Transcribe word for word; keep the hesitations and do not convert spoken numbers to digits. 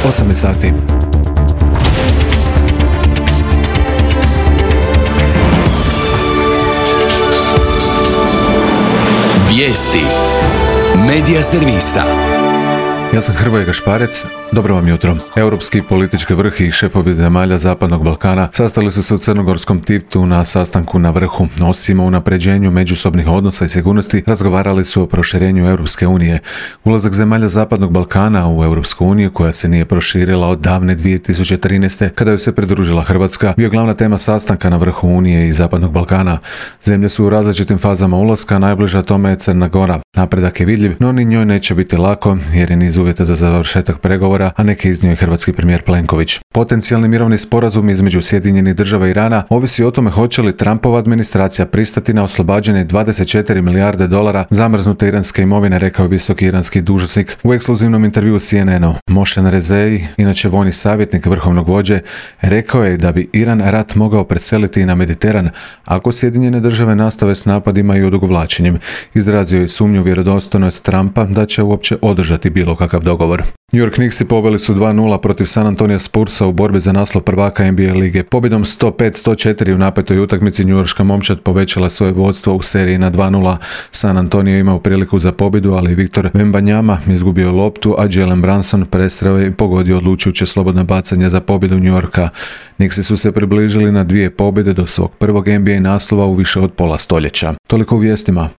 osam sati. Vijesti Medija servisa. Ja sam Hrvoje Gašparec, dobro vam jutro. Europski politički vrh i šefovi zemalja Zapadnog Balkana sastali su se u crnogorskom Tivtu na sastanku na vrhu. Osim o unapređenju međusobnih odnosa i sigurnosti, razgovarali su o proširenju Europske unije. Ulazak zemalja Zapadnog Balkana u Europsku uniju, koja se nije proširila od davne dvije tisuće trinaeste, kada joj se pridružila Hrvatska, bio glavna tema sastanka na vrhu Unije i Zapadnog Balkana. Zemlje su u različitim fazama ulaska, najbliža tome je Crna Gora. Napredak je vidljiv, no ni njoj neće biti lako, jer je niz uvjeta za završetak pregovora, a neki iznio je hrvatski premijer Plenković. Potencijalni mirovni sporazum između Sjedinjenih Država i Irana ovisi o tome hoće li Trumpova administracija pristati na oslobađanje dvadeset četiri milijarde dolara zamrznute iranske imovine, rekao visoki iranski dužnosnik u ekskluzivnom intervjuu C N N-u. Mošen Rezei, inače vojni savjetnik vrhovnog vođe, rekao je da bi Iran rat mogao preseliti i na Mediteran ako Sjedinjene Države nastave s napadima i odugovlačenjem. Izrazio je sumnju vjerodostojnost Trumpa da će uopće održati bilo kakav dogovor. New York Knicksi poveli su dva nula protiv San Antonija Spursa u borbi za naslov prvaka N B A lige. Pobjedom sto pet sto četiri u napetoj utakmici njujorška momčad povećala svoje vodstvo u seriji na dva nula. San Antonio imao priliku za pobjedu, ali Victor Wembanyama izgubio loptu, a Jalen Brunson presreo je i pogodio odlučujuće slobodno bacanje za pobjedu New Yorka. Knicksi su se približili na dvije pobjede do svog prvog N B A naslova u više od pola stoljeća. Toliko u vijestima.